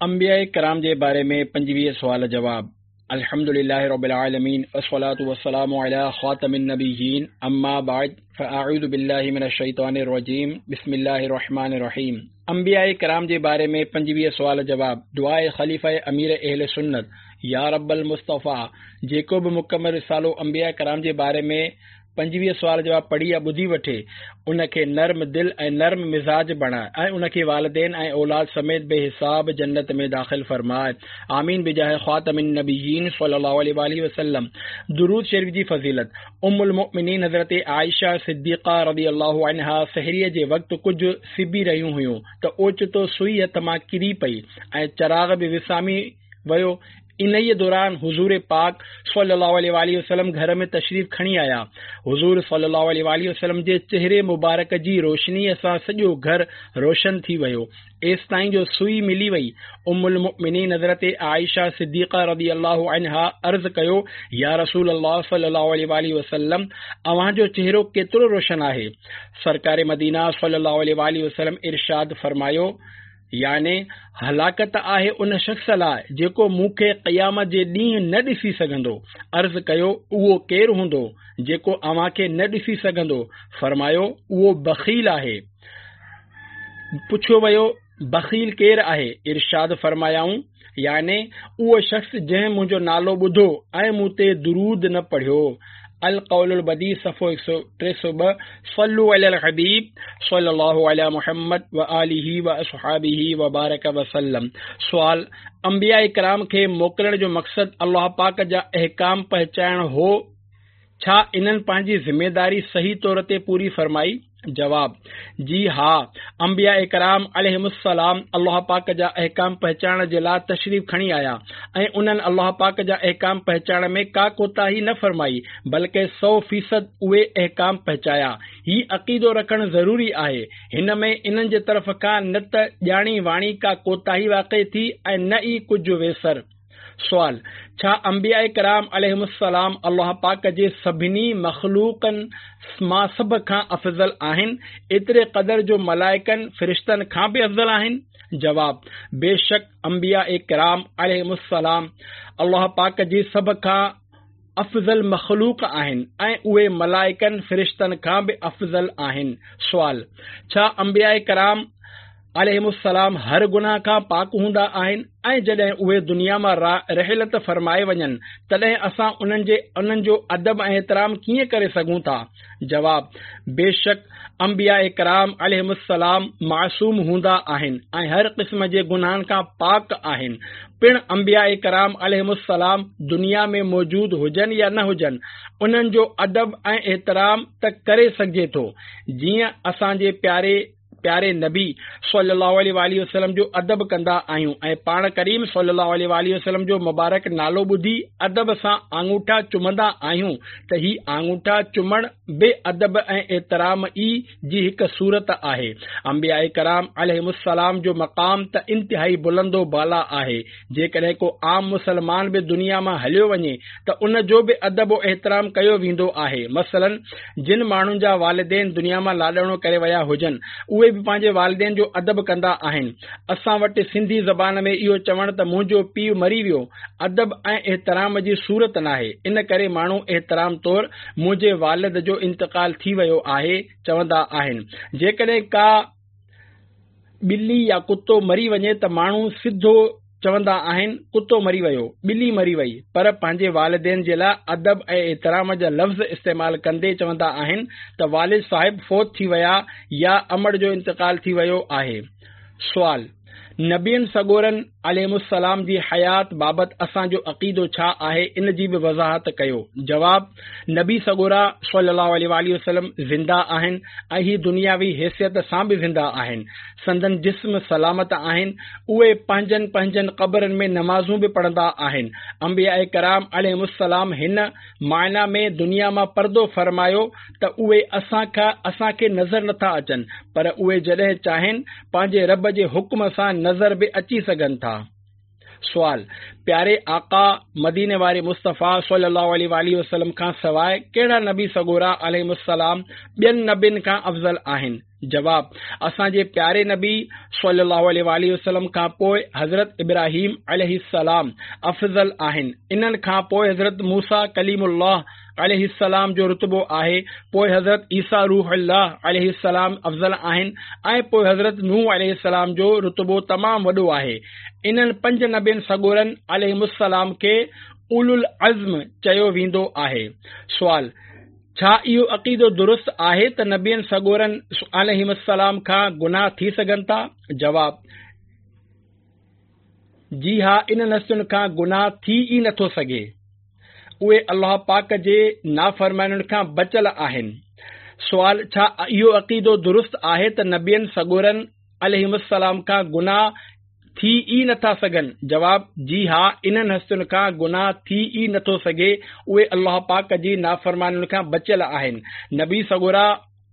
انبياء ڪرام جي باري ۾ 25 سوال جواب. الحمد لله رب العالمين والصلاة والسلام على خاتم النبيين اما بعد فاعوذ بالله من الشيطان الرجيم بسم الله الرحمن الرحيم. انبياء ڪرام جي باري ۾ 25 سوال جواب. دعاء خليفه امير اهل سنت يا رب المصطفيٰ جيڪو به مڪمل رسالو انبياء ڪرام جي باري ۾ 25 سوال جواب پڙهي يا ٻڌي وٺي، ان کي نرم دل ۽ نرم مزاج بڻاء ۽ ان کي والدين ۽ اولاد سميت بي حساب جنت ۾ داخل فرماء. آمين بجاه خاتم النبيين صلي الله عليه واٰله وسلم. درود شريف جي فضيلت، ام المؤمنين حضرت عائشه صديقه رضي الله عنها سحريء جي وقت ڪجهه سبي رهيون هيون ته اوچتو سوئي هٿ مان ڪري پئي ۽ چراغ به وسامي ويو. انهيء دوران حضور پاڪ صلّي الله عليه واٰله وسلّم گهر ۾ تشريف کڻي آيا. حضور صلّي الله عليه واٰله وسلّم جي چهري مبارڪ جي روشنيء سان سڄو گهر روشن ٿي ويو، ايستائين جو سوئي ملي وئي. ام المؤمنين حضرت عائشه صديقه رضي الله عنها عرض ڪيو، يا رسول الله صلّي الله عليه واٰله وسلّم! اوهان جو چهرو ڪيترو روشن آهي. سرڪار مدينه صلّي الله عليه واٰله وسلّم ارشاد فرمايو، يعني هلاڪت آهي ان شخص لاء جيڪو مون کي قيامت جي ڏينهن نه ڏسي سگهندو. عرض ڪيو، اهو ڪير هوندو جيڪو اوهان کي نه ڏسي سگهندو؟ فرمايو، اهو بخيل آهي. پڇيو ويو، بخيل ڪير آهي؟ ارشاد فرمايائون، يعني اهو شخص جنهن منهنجو نالو ٻڌو ۽ مون تي درود نه پڙهيو. القول البديع صفحو 302 صلو علی الحبيب صلي الله علي محمد وآله واصحابه وبارڪ وسلم. سوال، انبياء ڪرام کي موڪلڻ جو مقصد الله پاڪ جا احڪام پهچائڻ هو، ڇا انهن پنهنجي ذميداري صحيح طور تي پوري فرمائي؟ جواب، جي ها، انبياء ڪرام عليهم السلام الله پاڪ جا احڪام پهچائڻ جي لاء تشريف کڻي آيا ۽ انهن الله پاڪ جا احڪام پهچائڻ ۾ ڪا ڪوتاهي نه فرمائي بلڪه سو فيصد اهي احڪام پهچايا. هي عقيدو رکڻ ضروري آهي. هن ۾ انهن جي طرف کان نه ته ڄاڻي واڻي ڪا ڪوتاهي واقع ٿي ۽ نه ئي ڪجهه ويسر. سوال، ڇا انبياء ڪرام عليهم السلام الله پاڪ جي سڀني مخلوقن مان سڀ کان افضل آهن، ايتري قدر جو ملائڪن، فرشتن، کان به افضل آهن؟ جواب، بيشڪ انبياء ڪرام عليهم السلام الله پاڪ جي سڀ کان افضل مخلوق آهن ۽ اهي ملائڪن، فرشتن، کان به افضل آهن. سوال، ڇا انبياء ڪرام عليهم السلام هر گناهه کان پاڪ هوندا آهن ۽ جڏهن اهي دنيا مان رحلت فرمائي وڃن تڏهن اسان انهن جي انهن جو ادب ۽ احترام ڪيئن ڪري سگهون ٿا؟ جواب، بيشڪ انبياء ڪرام عليهم السلام معصوم هوندا آهن ۽ هر قسم جي گناهن کان پاڪ آهن. پڻ انبياء ڪرام عليهم السلام دنيا ۾ موجود هجن يا نه هجن انهن جو ادب ۽ احترام ته ڪري سگهجي ٿو جيئن اسان جي پياري پياري نبي صلي الله عليه واٰله وسلم جو ادب ڪندا آهيون ۽ پاڻ ڪريم صلي الله عليه واٰله وسلم جو مبارڪ نالو ٻڌي ادب سان آڱوٺا چمندا آهيون ته هي آڱوٺا چمڻ به ادب ۽ احترام ئي جي هڪ صورت آهي. انبياء ڪرام عليهم السلام جو مقام ته انتهائي بلند و بالا آهي. جيڪڏهن ڪو عام مسلمان به دنيا مان هليو وڃي ته ان جو به ادب و احترام ڪيو ويندو آهي. مثلاً جن ماڻهن جا والدين دنيا مان لاڏاڻو ڪري ويا هجن اهي به پنهنجي والدين جو ادب ڪندا آهن. اسان وٽ سنڌي زبان ۾ اهو چوڻ ته منهنجو پيء مري ويو ادب ۽ احترام جي صورت ناهي، ان ڪري ماڻهو احترام طور منهنجي والد جو انتقال ٿي ويو آهي چوندا آهن. جيڪڏهن ڪا ٻلي يا ڪتو مري وڃي ته ماڻهو سڌو چوندا آهن ڪتو مري ويو، ٻلي مري وئي پر پنهنجي والدين جي لاء ادب ۽ احترام جا لفظ استعمال ڪندي چوندا آهن ته والد صاحب فوت ٿي ويا يا امڙ جو انتقال ٿي ويو آهي. سوال، نبين سڳورن عليهم السلام جي حيات بابت اسان جو عقيدو ڇا آهي ان جي به وضاحت ڪيو؟ جواب، نبي سڳورا صلي الله عليه واٰله وسلم زنده آهن ۽ هي دنياوي حيثيت سان به زنده آهن، سندن جسم سلامت آهن، اهي پنهنجن پنهنجن قبرن ۾ نمازون به پڙهندا آهن، انبياء ڪرام عليهم السلام هن معنيٰ ۾ دنيا مان پردو فرمايو ته اهي اسان کان اسان کي نظر نٿا اچن پر اهي جڏهن چاهين پنهنجي رب جي حڪم سان نظر به اچي سگهن ٿا. سوال، پياري آقا، مديني واري مصطفيٰ صلّي اللّٰه عليه واٰله وسلّم کان سواء ڪهڙا نبي سڳورا عليهم السّلام ٻين نبين کان افضل آهن؟ جواب، اسان جي پياري نبي صلّي اللّٰه عليه واٰله وسلّم کان پوء حضرت ابراهيم عليه السّلام افضل آهن، انهن کان پوء حضرت موسيٰ ڪليم الله عليه السّلام جو رتبو آهي، پوء حضرت عيسيٰ روح الله عليه السّلام افضل آهن ۽ پوء حضرت نوح عليه السّلام جو رتبو تمام وڏو آهي. انهن پنج نبين سڳورن عليهم السّلام کي اولو العزم چيو ويندو آهي. سوال، ڇا اهو عقيدو درست آهي ته نبين سڳورن عليهم السلام کان گناهه ٿي سگهن ٿا؟ جواب، جي ها انهن هستين کان گناهه ٿي ئي نٿو سگهي. اهي الله پاڪ جي نافرمانين کان بچيل آهن. سوال، ڇا اهو عقيدو درست آهي ته نبين سڳورن عليهم السلام کان گناهه ٿي ئي نٿا سگهن؟ جواب، جي ها انهن هستين کان گناهه ٿي ئي نٿو سگهي، اهي الله پاڪ جي نافرمانين کان بچيل آهن. نبي سڳورا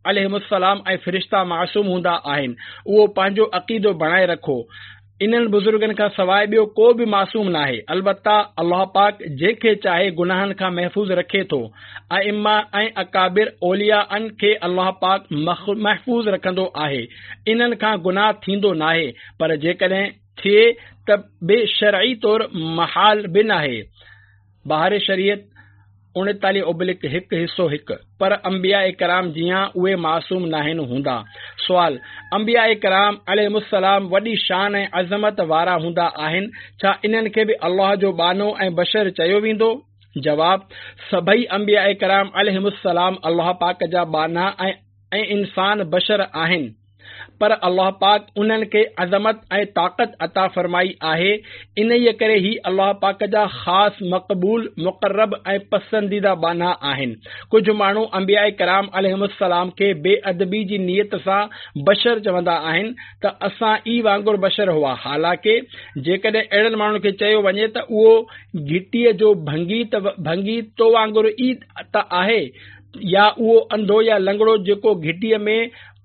عليهم السلام ۽ فرشتا معصوم هوندا آهن، اهو پنهنجو عقيدو بڻائي رکو. انهن بزرگن کان سواء ٻيو ڪو به معصوم ناهي، البته الله پاڪ جنهن کي چاهي گناهن کان محفوظ رکي ٿو. ائمه ۽ اڪابر اوليائن کي الله پاڪ محفوظ رکندو آهي، انهن کان گناهه ٿيندو ناهي، پر جيڪڏهن ٿئي ته به شرعي طور محال به ناهي. بهار شريعت، 39 ابلڪ هڪ حصو هڪ، پر انبياء ڪرام جيان اهي معصوم ناهن هوندا. سوال، انبياء ڪرام عليهم السلام وڏي شان ۽ عظمت وارا هوندا آهن، ڇا انهن کي به الله جو ٻانهو ۽ بشر چيو ويندو؟ جواب، سڀئي انبياء ڪرام عليهم السلام الله پاڪ جا ٻانها ۽ انسان بشر آهن. پر الله پاڪ انهن کي عظمت ۽ طاقت عطا فرمائي آهي، انهيء ڪري هي الله پاڪ جا خاص مقبول، مقرب ۽ پسنديده ٻانها آهن. ڪجهه ماڻهو انبياء ڪرام عليهم السلام کي بي ادبي جي نيت سان بشر چوندا آهن ته اسان ئي وانگر بشر هئا، حالانڪه جيڪڏهن اهڙن ماڻهن کي چيو وڃي ته اهو گهٽيء جو ڀنگي تو وانگر ئي ته آهي يا اهو انڌو يا لنگڙو جيڪو گهٽيء ۾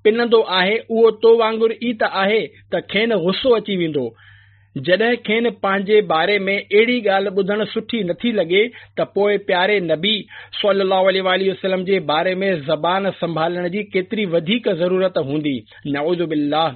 پنندو آهي اهو تو وانگر ئي ته آهي ته کين غصو اچي ويندو. جڏهن کين پنهنجي باري ۾ اهڙي ڳالهه ٻڌڻ سٺي نٿي لڳي ته پوء پياري نبي صلي الله عليه واٰله وسلم جي باري ۾ زبان سنڀالڻ جي ڪيتري وڌيڪ ضرورت هوندي. نعوذ بالله.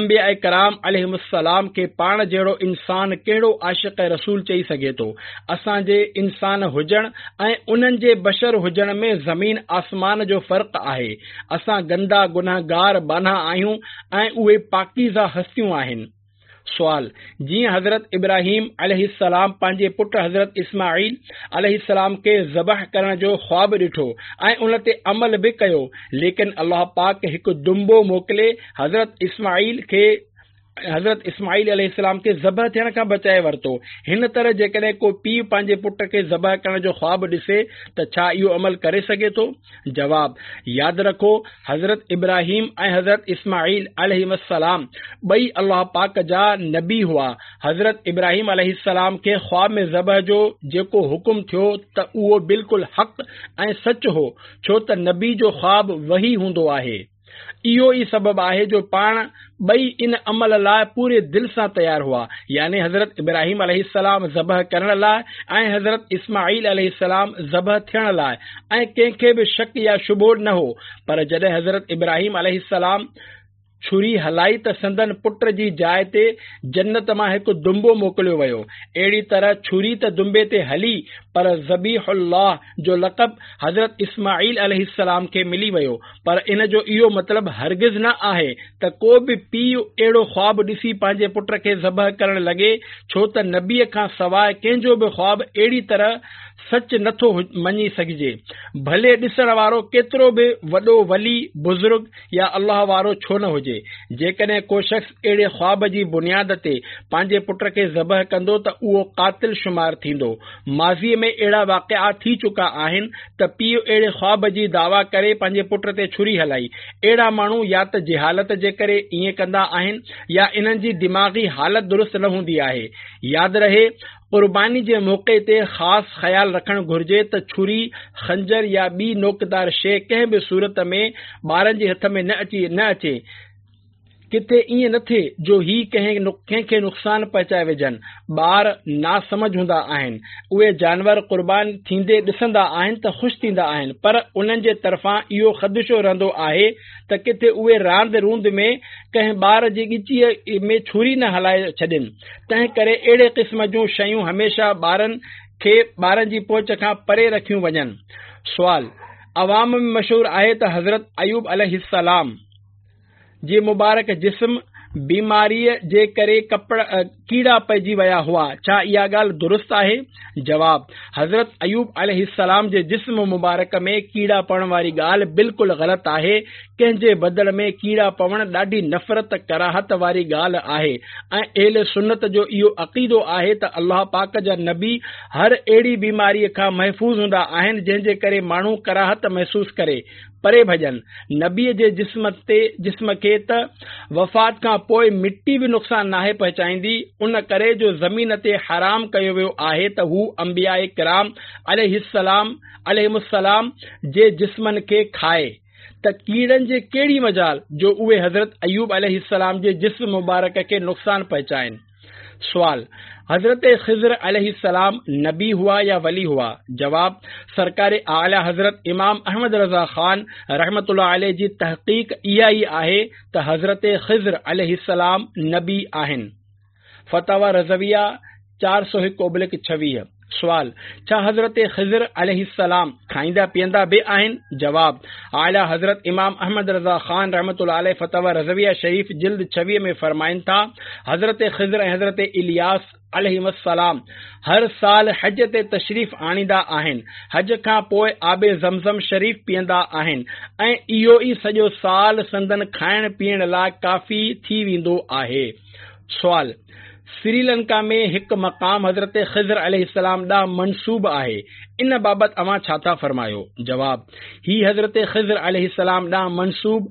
انبياء ڪرام عليهم السلام کي پاڻ جهڙو انسان ڪهڙو عاشق رسول چئي سگهي ٿو. اسان جي انسان هجڻ ۽ انهن جي بشر هجڻ ۾ زمين آسمان جو فرق آهي. اسان گندا گنهگار ٻانها آهيون ۽ اهي پاڪيزه هستيون آهن. سوال، جيئن حضرت ابراهيم عليه السلام پنهنجي پٽ حضرت اسماعيل عليه السلام کي ذبح ڪرڻ جو خواب ڏٺو ۽ ان تي عمل به ڪيو ليڪن الله پاڪ هڪ دنبو موڪلي حضرت اسماعيل کي حضرت اسماعيل عليه السلام کي ذبح ٿيڻ کان بچائي ورتو. هن طرح جيڪڏهن ڪو پيء پنهنجي پٽ کي ذبح ڪرڻ جو خواب ڏسي ته ڇا اهو عمل ڪري سگهي ٿو؟ جواب، ياد رکو حضرت ابراهيم ۽ حضرت اسماعيل عليهما السلام ٻئي الله پاڪ جا نبي هئا. حضرت ابراهيم عليه السلام کي خواب ۾ ذبح جو جيڪو حڪم ٿيو ته اهو بلڪل حق ۽ سچ هو ڇو ته نبي جو خواب وحي هوندو آهي. اهو ئي سبب آهي جو پاڻ ٻئي ان عمل لاء پوري دل سان تيار هئا، يعني حضرت ابراهيم عليه السلام ذبح ڪرڻ لاء ۽ حضرت اسماعيل عليه السلام ذبح ٿيڻ لاء ۽ ڪنهن کي به شڪ يا شبهو نه هو، پر جڏهن حضرت ابراهيم عليه السلام ڇري هلائي ته سندن پٽ جي جاء تي جنت مان هڪ دنبو موڪليو ويو. اهڙي طرح ڇري ته دنبي تي هلي پر ذبيح الله جو لقب حضرت اسماعيل عليه السلام کي ملي ويو پر ان جو اهو مطلب هرگز نه آهي ته ڪو به پيء اهڙو خواب ڏسي پنهنجي پٽ کي ذبح ڪرڻ لڳي ڇو ته نبيء کان سواء ڪنهن جو به خواب اهڙي طرح سچ نه ٿو مڃي سگهجي ڀلي ڏسڻ وارو ڪيترو به وڏو ولي، بزرگ يا الله وارو ڇو نه هجي. جيڪڏهن ڪو شخص اهڙي خواب جي بنياد تي پنهنجي پٽ کي ذبح ڪندو ته اهو قاتل شمار ٿيندو. ماضيء ۾ اهڙا واقعا ٿي چڪا آهن ته پيء اهڙي خواب جي دعويٰ ڪري پنهنجي پٽ تي ڇري هلائي. اهڙا ماڻهو يا ته جهالت جي ڪري ائين ڪندا آهن يا انهن جي دماغي حالت درست نه هوندي آهي. ياد رهي قرباني جي موقعي تي خاص خيال رکڻ گهرجي ته ڇري، خنجر يا ٻي نوڪدار شيء ڪنهن به صورت ۾ ٻارن جي هٿ ۾ نه اچي. ڪٿي ائين نه ٿئي جو هي ڪنهن کي نقصان پهچائي وجهن. ٻار ناسمجهه هوندا آهن. اهي جانور قربان ٿيندي ڏسندا آهن ته خوش ٿيندا آهن پر انهن جي طرفان اهو خدشو رهندو آهي ته ڪٿي اهي راند روند ۾ ڪنهن ٻار جي ڳچيء ۾ ڇري نه هلائي ڇڏين. تنهن ڪري اهڙي قسم جون شيون هميشه ٻارن کي ٻارن جي پهچ کان پري رکيون وڃن. سوال، عوام ۾ مشهور آهي ته حضرت ايوب عليه السلام جي مبارڪ جسم بيماريء جي ڪري ڪيڙا پئجي ويا هئا، ڇا اها ڳالهه درست آهي؟ جواب، حضرت ايوب عليه السلام جي جسم مبارڪ ۾ ڪيڙا پوڻ واري ڳالهه بلڪل غلط آهي، ڪنهن جي بدن ۾ ڪيڙا پوڻ ڏاڍي نفرت ڪراهت واري ڳالهه آهي ۽ اهل سنت جو اهو عقيدو آهي ته الله پاڪ جا نبي هر اهڙي بيماريء کان محفوظ هوندا آهن جنهن جي ڪري ماڻهو ڪراهت محسوس ڪري. پري ڀڄن. نبيء جي جسم تي جسم کي ته وفات کان پوء مٽي به نقصان ناهي پهچائيندي، ان ڪري جو زمين تي حرام ڪيو ويو آهي ته هو انبياء ڪرام عليه السلام عليهم السلام جي جسمن کي کائي ته ڪيڙن جي ڪهڙي مجال جو اهي حضرت ايوب عليه السلام جي جسم مبارڪ کي نقصان پهچائين. سوال، حضرت خضر عليه السلام نبي هئا يا ولي هئا؟ جواب، سرڪار اعليٰ حضرت امام احمد رضا خان رحمة الله عليه جي تحقيق اها ئي آهي ته حضرت خضر عليه السلام نبي آهن. فتاويٰ رضويه 401/26. سوال، ڇا حضرت خضر عليه السلام کائيندا پيئندا به آهن؟ جواب، اعليٰ حضرت امام احمد رضا خان رحمة الله عليه فتاويٰ رضويه شريف جلد 26 ۾ فرمائن ٿا، حضرت خضر ۽ حضرت الياس عليهم السلام هر سال حج تي تشريف آڻيندا آهن، حج کان پوء آب زمزم شريف پيئندا آهن ۽ اهو ئي سڄو سال سندن کائڻ پيئڻ لاء ڪافي ٿي ويندو آهي. سوال، سريلنڪا ۾ هڪ مقام حضرت خضر عليه السلام ڏانهن منسوب آهي، ان بابت اوهان ڇا ٿا فرمايو؟ جواب، هي حضرت خضر عليه السلام ڏانهن منسوب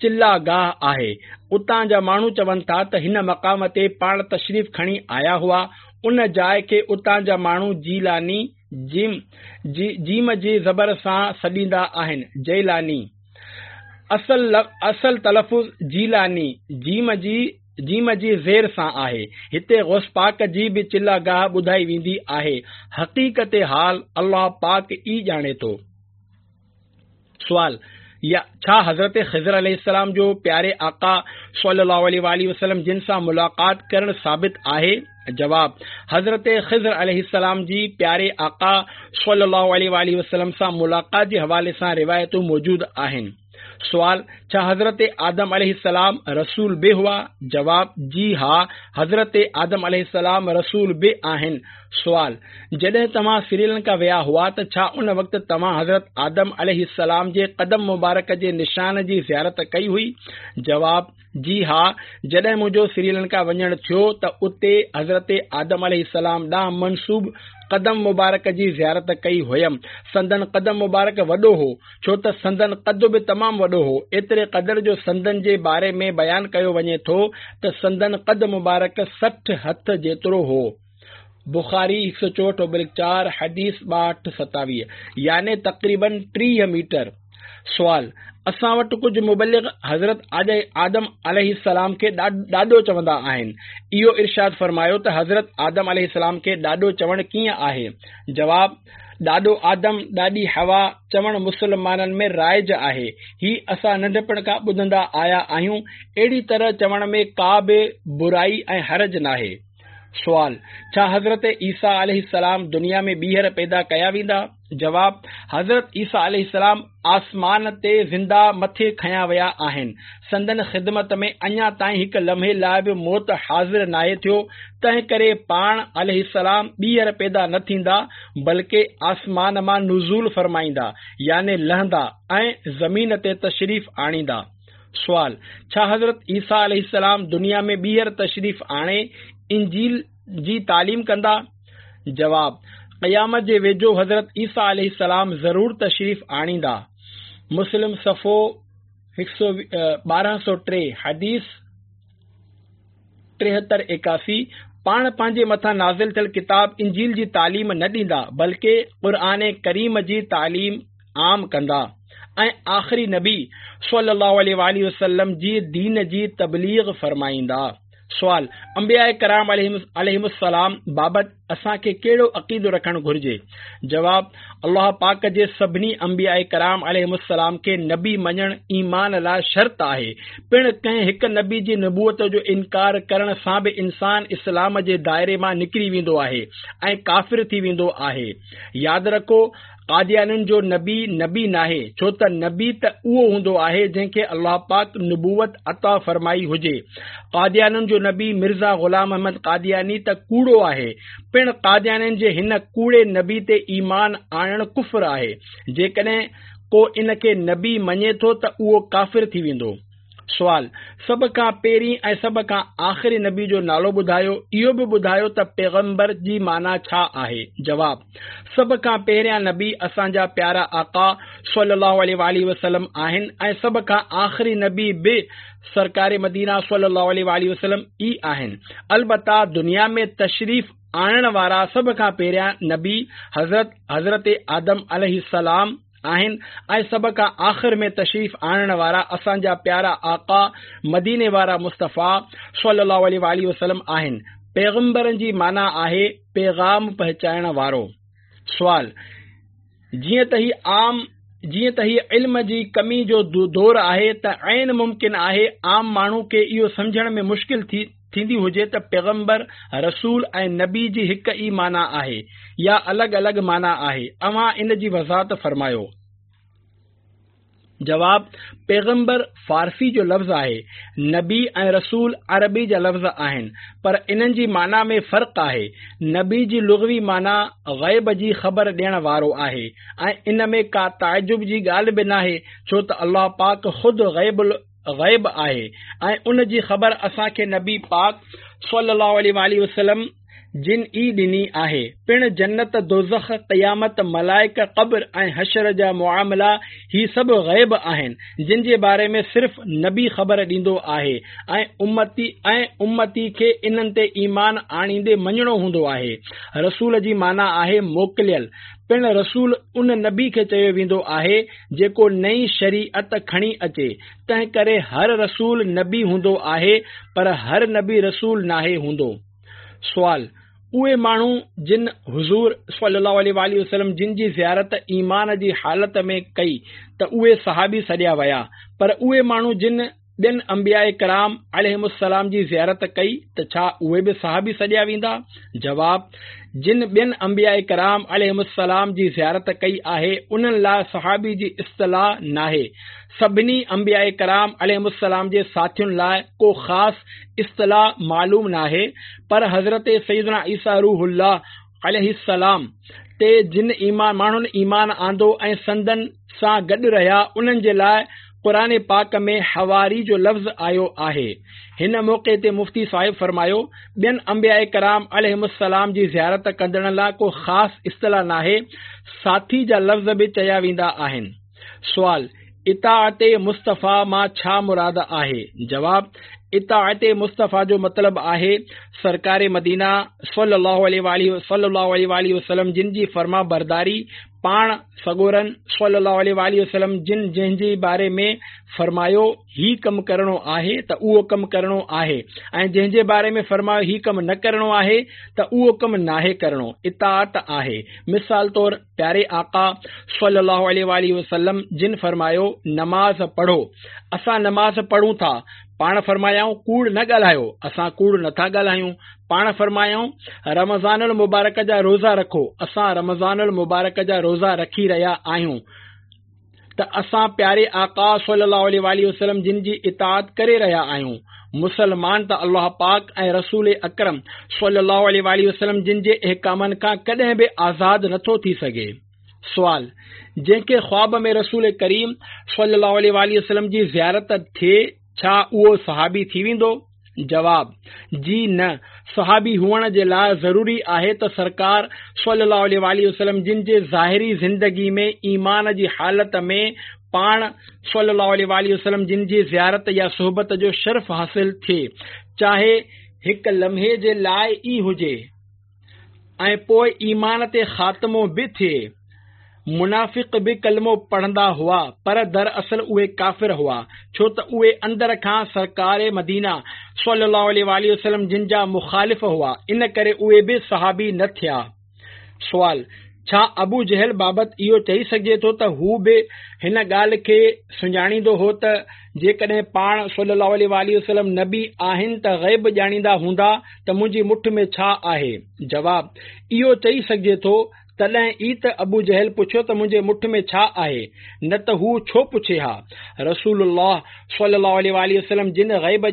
چله گاهه آهي. اتان جا ماڻهو چون ٿا ته هن مقام تي پاڻ تشريف کڻي آيا هئا. ان جاء کي اتان جا ماڻهو جيلاني، جيم، جيم جي زبر سان سڏيندا آهن، جيلاني. اصل اصل تلفظ جيلاني، جيم جي جيم جي زير سان آهي. هتي غوث پاڪ جي به چله گاهه ٻڌائي ويندي آهي. حقيقت حال الله پاڪ ئي ڄاڻي ٿو. سوال، يا ڇا حضرت خضر عليه السلام جو پياري آقا صلي الله عليه واٰله وسلم جن سان ملاقات ڪرڻ ثابت آهي؟ جواب، حضرت خضر عليه السلام جي پياري آقا صلي الله عليه واٰله وسلم سان ملاقات جي حوالي سان روايتون موجود آهن. سوال، ڇا حضرت آدم عليه السلام رسول به هئا؟ جواب، جي ها، حضرت آدم عليه السلام رسول به آهن. سوال، جڏهن توهان سريلنڪا ويا هئا ته ڇا ان وقت توهان حضرت آدم عليه السلام جي قدم مبارڪ جي نشان جي زيارت ڪئي هئي؟ جواب، جي ها، جڏهن منهنجو سريلنڪا وڃڻ ٿيو ته اتي حضرت آدم عليه السلام ڏانهن منسوب قدم مبارڪ جي زيارت ڪئي هيم. سندن قدم مبارڪ وڏو هو، ڇو ته سندن قد به تمام وڏو هو، ايتري قدر جو سندن جي باري ۾ بيان ڪيو وڃي ٿو ته سندن قد مبارڪ 60 هٿ جيترو هو. بخاري 164/4، حديث 6227، يعني تقريباً 30 ميٽر. سوال، اسان وٽ ڪجهه مبلغ حضرت آدم عليه السلام کي ڏاڏو چوندا آهن، اهو ارشاد فرمايو ته حضرت آدم عليه السلام کي ڏاڏو چوڻ ڪيئن آهي؟ جواب، ڏاڏو آدم، ڏاڏي حوا چوڻ مسلمانن ۾ رائج آهي، هي اسان ننڍپڻ کان ٻڌندا آيا آهيون، اهڙي طرح چوڻ ۾ ڪا به برائي ۽ حرج ناهي. سوال، ڇا حضرت عيسيٰ عليه السلام دنيا ۾ ٻيهر پيدا ڪيا ويندا؟ جواب، حضرت عيسيٰ عليه السلام آسمان تي زنده مٿي کنيا ويا آهن. سندن خدمت ۾ اڃا تائين هڪ لمحي لاء به موت حاضر ناهي ٿيو، تنهنڪري پاڻ عليه السلام ٻيهر پيدا نه ٿيندا، بلڪه آسمان مان نزول فرمائيندا، يعني لهندا، ۽ زمين تي تشريف آڻيندا. سوال، ڇا حضرت عيسيٰ عليه السلام دنيا ۾ ٻيهر تشريف آڻي انجيل جي تعليم ڪندا؟ جواب، قيامت جي ويجهو حضرت عيسيٰ عليه السلام ضرور تشريف آڻيندا. مسلم صفحو 1203 حديث 73 81، پاڻ پنهنجي مٿان نازل ٿيل ڪتاب انجيل جي تعليم نه ڏيندا بلڪه قرآن ڪريم جي تعليم عام ڪندا. ۽ آخري نبي صلّي اللّٰه عليه واٰله وسلّم جي دين جي تبليغ فرمائيندا. سوال، انبياء ڪرام عليهم السلام بابت اسان کي ڪهڙو عقيدو رکڻ گهرجي؟ جواب، الله پاڪ جي سڀني انبياء ڪرام عليهم السلام کي نبي مڃڻ ايمان لاء شرط آهي، پڻ ڪنهن هڪ نبي جي نبوت جو انڪار ڪرڻ سان به انسان اسلام جي دائري مان نڪري ويندو آهي ۽ ڪافر ٿي ويندو آهي. ياد رکو! قاديانين جو نبي، نبي ناهي، ڇو ته نبي ته اهو هوندو آهي جنهن کي الله پاڪ نبوت عطا فرمائي هجي. قاديانين جو نبي مرزا غلام احمد قادياني ته ڪوڙو آهي. پڻ قاديانين جي هن ڪوڙي نبي تي ايمان آڻڻ ڪفر آهي. جيڪڏهن ڪو ان کي نبي مڃي ٿو ته اهو ڪافر ٿي ويندو. سوال، سڀ کان پهرين ۽ سڀ کان آخري نبي جو نالو ٻڌايو، اهو به ٻڌايو ته پيغمبر جي معنيٰ ڇا آهي؟ جواب، سڀ کان پهريان نبي اسان جا پيارا آقا صلي الله عليه واٰله وسلم آهن ۽ سڀ کان آخري نبي به سرڪار مدينه صلي الله عليه واٰله وسلم ئي آهن. البته دنيا ۾ تشريف آڻڻ وارا سڀ کان پهريان نبي حضرت حضرت آدم عليه السلام آهن ۽ سڀ کان آخر ۾ تشريف آڻڻ وارا اسان جا پيارا آقا مديني وارا مصطفيٰ صلي الله عليه واٰله وسلم آهن. پيغمبرن جي معنيٰ آهي پيغام پهچائڻ وارو. سوال، جيئن ته هي عام جيئن ته هي علم جي ڪمي جو دور آهي ته عين ممڪن آهي عام ماڻهو کي اهو سمجهڻ ۾ مشڪل ٿي ٿيندي هجي ته پيغمبر، رسول ۽ نبي جي هڪ ئي معنيٰ آهي يا الڳ الڳ معنيٰ آهي، اوهان ان جي وضاحت فرمايو. جواب، پيغمبر فارسي جو لفظ آهي، نبي ۽ رسول عربي جا لفظ آهن، پر انهن جي معنيٰ ۾ فرق آهي، نبي جي لغوي معنيٰ غيب جي خبر ڏيڻ وارو آهي ۽ ان ۾ ڪا تعجب جي ڳالهه به ناهي ڇو ته الله پاڪ خود غيب غيب آهي ۽ ان جي خبر اسان کي نبي پاڪ صلي الله عليه واٰله وسلم جن ئي ڏني آهي. پڻ جنت، دوزخ، قيامت، ملائڪ، قبر ۽ حشر جا معاملا هي سڀ غيب آهن جن جي باري ۾ صرف نبي خبر ڏيندو آهي ۽ امتي ۽ امتي کي انهن تي ايمان آڻيندي مڃڻو هوندو آهي. رسول جي معنيٰ آهي موڪليل. پڻ رسول ان نبي کي چيو ويندو آهي جيڪو نئين شريعت کڻي اچي، تنهنڪري هر رسول نبي هوندو آهي پر هر نبي رسول ناهي هوندو. سوال، اهي ماڻهو جن حضور صلي الله عليه واٰله وسلم جن جي زيارت ايمان جي حالت ۾ ڪئي ته اهي صحابي سڏيا ويا پر اهي ماڻهو جن ٻين انبياء ڪرام عليهم السلام جي زيارت ڪئي ته ڇا اهي به صحابي سڏيا ويندا؟ جواب، جن ٻين انبياء ڪرام عليهم السلام جي زيارت ڪئي آهي انهن لاء صحابي جي اصطلاح ناهي. سڀني انبياء ڪرام عليهم السلام جي ساٿين لاء ڪو خاص اصطلاح معلوم ناهي پر حضرت سيدنا عيسيٰ روح الله عليه السلام تي جن ماڻهن ايمان آندو ۽ سندن سان گڏ رهيا انهن جي لاء قرآن پاڪ ۾ حواري جو لفظ آيو آهي. هن موقعي تي مفتي صاحب فرمايو، ٻين انبياء ڪرام عليهم السلام جي زيارت ڪندڙن لاء ڪو خاص اصطلاح ناهي، ساٿي جا لفظ به چيا ويندا آهن. سوال، اطاعت مصطفيٰ مان ڇا مراد آهي؟ جواب، اطاعت مصطفيٰ جو مطلب آهي سرڪار مدينه صلي الله عليه واٰله صلي الله عليه واٰله وسلم جن جي فرمانبرداري، پاڻ سڳورن صلي الله عليه واٰله وسلم جن جنهن جي باري ۾ فرمايو هي ڪم ڪرڻو آهي ته اهو ڪم ڪرڻو آهي ۽ جنهن جي باري ۾ فرمايو هي ڪم نه ڪرڻو آهي ته اهو ڪم ناهي ڪرڻو اطاعت آهي مثال طور پياري آقا صلي الله عليه واٰله وسلم جن فرمايو نماز پڙهو اسان نماز پڙهون ٿا پاڻ فرمايائون ڪوڙ نه ڳالهايو اسان ڪوڙ نٿا ڳالهايون پاڻ فرمايائون، رمضان المبارڪ جا روزا رکو، اسان رمضان المبارڪ جا روزا رکي رهيا آهيون ته اسان پياري آقا صلي الله عليه واٰله وسلم جن جي اطاعت ڪري رهيا آهيون. مسلمان ته الله پاڪ ۽ رسول اڪرم صلي الله عليه واٰله وسلم جن جي احڪامن کان ڪڏهن به آزاد نٿو ٿي سگهي. سوال، جنهن کي خواب ۾ رسول ڪريم صلي الله عليه واٰله وسلم جي زيارت ٿئي ڇا اهو صحابي ٿي ويندو؟ جواب، جي نه، صحابي هئڻ جي لاء ضروري آهي ته سرڪار صلي الله عليه واٰله وسلم جن جي ظاهري زندگي ۾ ايمان جي حالت ۾ پاڻ صلي الله عليه واٰله وسلم جن جي زيارت يا صحبت جو شرف حاصل ٿئي چاهي هڪ لمحي جي لاء ئي هجي ۽ پوء ايمان تي خاتمو به ٿئي. منافق به ڪلمو پڙهندا هئا پر دراصل اهي ڪافر هئا، ڇو ته اهي اندر کان سرڪار مدينه صلي الله عليه واٰله وسلم جن جا مخالف هئا، ان ڪري اهي به صحابي نه ٿيا. سوال، ڇا ابو جهل بابت اهو چئي سگهجي ٿو ته هو به هن ڳالهه کي سڃاڻيندو هو ته جيڪڏهن پاڻ صلي الله عليه واٰله وسلم نبي آهن ته غيب ڄاڻيندا هوندا ته منهنجي مٺ ۾ ڇا آهي؟ جواب، اهو چئي سگهجي ٿو تڏهن ئي ته ابو جهل پڇيو ته منهنجي مٺ ۾ ڇا آهي؟ نه ته هو ڇو پڇي ها؟ رسول الله صلي الله عليه واٰله وسلم جن غيب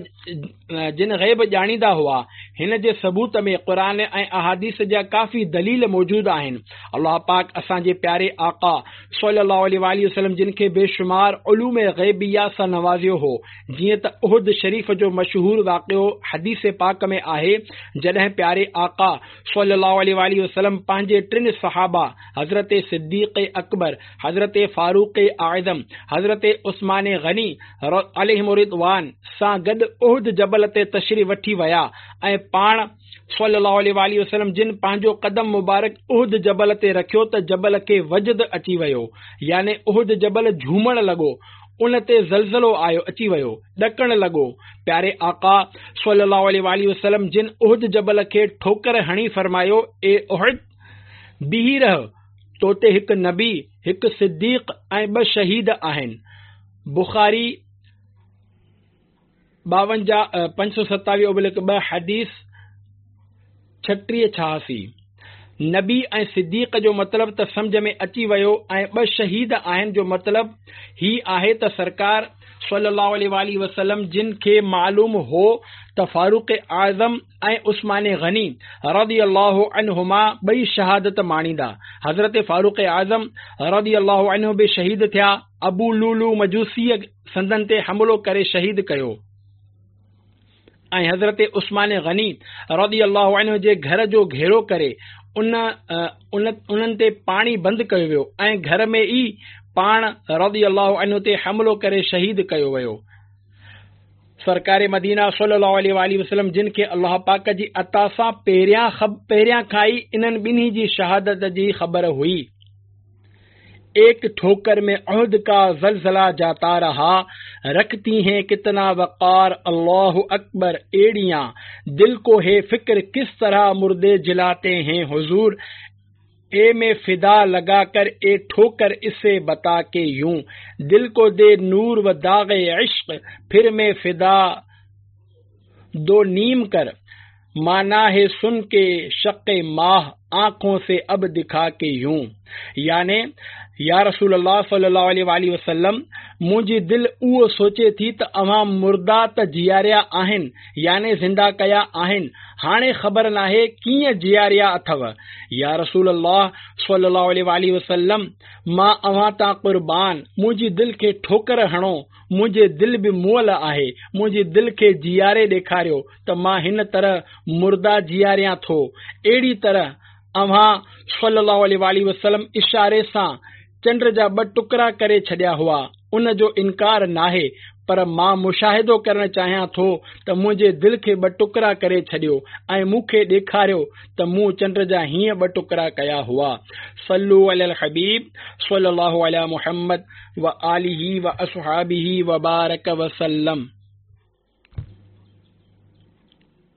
جن غيب ڄاڻيندا هئا. هن جي ثبوت ۾ قرآن ۽ احاديث جا ڪافي دليل موجود آهن. الله پاڪ اسان جي پياري آقا صلي الله عليه واٰله وسلم جن کي بيشمار علوم غيبيه سان نوازيو هو. جيئن ته احد شريف جو مشهور واقعو حديث پاڪ ۾ آهي، جڏهن پياري آقا صلي الله عليه واٰله وسلم پنهنجي ٽن صحابه حضرت صديق اڪبر، حضرت فاروق اعظم، حضرت عثمان غني عليهم الرضوان سان گڏ احد جبل تي تشريف وٺي ويا ۽ پاڻ صلي الله عليه واٰله وسلم جن پنهنجو قدم مبارڪ احد جبل تي رکيو ته جبل کي وجد اچي ويو يعني احد جبل جهومڻ لڳو ان تي زلزلو آيو اچي ويو، ڏڪڻ لڳو. پياري آقا صلّي اللّٰه عليه واٰله وسلّم جن احد جبل کي ٺوڪر هڻي فرمايو، اي احد! بيهي رهه، تو تي هڪ نبي، هڪ صديق ۽ ٻه شهيد آهن. بخاري 52 527/2 حديث 3686. نبي ۽ صديق جو مطلب ته سمجهه ۾ اچي ويو ۽ ٻه شهيد آهن جو مطلب هي آهي ته سرڪار صلي الله عليه واٰله وسلم جن کي معلوم هو ته فاروق اعظم ۽ عثمان غني رضي الله عنهما ٻئي شهادت ماڻيندا. حضرت فاروق اعظم رضي الله عنه به شهيد ٿيا. ابو لولو مجوسيء سندن تي حملو ڪري شهيد ڪيو ۽ حضرت عثمان غني رضي الله عنه جي گهر جو گهيرو ڪري ان انهن تي پاڻي بند ڪيو ويو ۽ گهر ۾ ئي پاڻ رضي الله عنه تي حملو ڪري شهيد ڪيو ويو. سرڪار مدينه صلي الله عليه واٰله وسلم جن کي الله پاڪ جي عطا سان پهريان کان ئي انهن ٻنهي جي شهادت جي خبر هئي. ايڪ ٺوڪر ۾ احد ڪا زلزله جاتا رها، رکتي هين ڪتنا وقار الله اڪبر ايڙيان، دل ڪو هي فڪر ڪس طرح مردي جلاتي هين حضور اي مين فدا لگا ڪر اي ٺوڪر اسي بتا ڪي يون، دل ڪو the نور و داغ عشق پھر مين فدا دو نيم ڪر، معنيٰ هي سن ڪي شق ماه آنکون سي اب دکا ڪي يون يعني يا رسول الله صلي الله عليه واٰله وسلم منهنجي دل اهو سوچي ٿي ته اوهان مردا ته جياريا آهن يعني زنده ڪيا آهن هاڻي خبر ناهي ڪيئن جياريا اٿو يا رسول الله صلي الله عليه واٰله وسلم مان اوهان تان قربان منهنجي دل کي ٺوڪر هڻو منهنجي دل به مئل آهي، منهنجي دل کي جياري ڏيکاريو ته مان هن طرح مردا جياريان ٿو. اهڙي طرح اوهان صلّي اللّٰه عليه واٰله وسلّم اشاري سان چنڊ جا ٻه ٽڪرا ڪري ڇڏيا هئا، ان جو انڪار ناهي، پر مان مشاهدو ڪرڻ چاهيان ٿو ته منهنجي دل کي ٻه ٽڪرا ڪري ڇڏيو ۽ مون کي ڏيکاريو ته مون چنڊ جا هيئن ٻه ٽڪرا ڪيا هئا. صلّو علي الحبيب صلّي اللّٰه علي محمّد وآله واصحابه وبارڪ وسلم.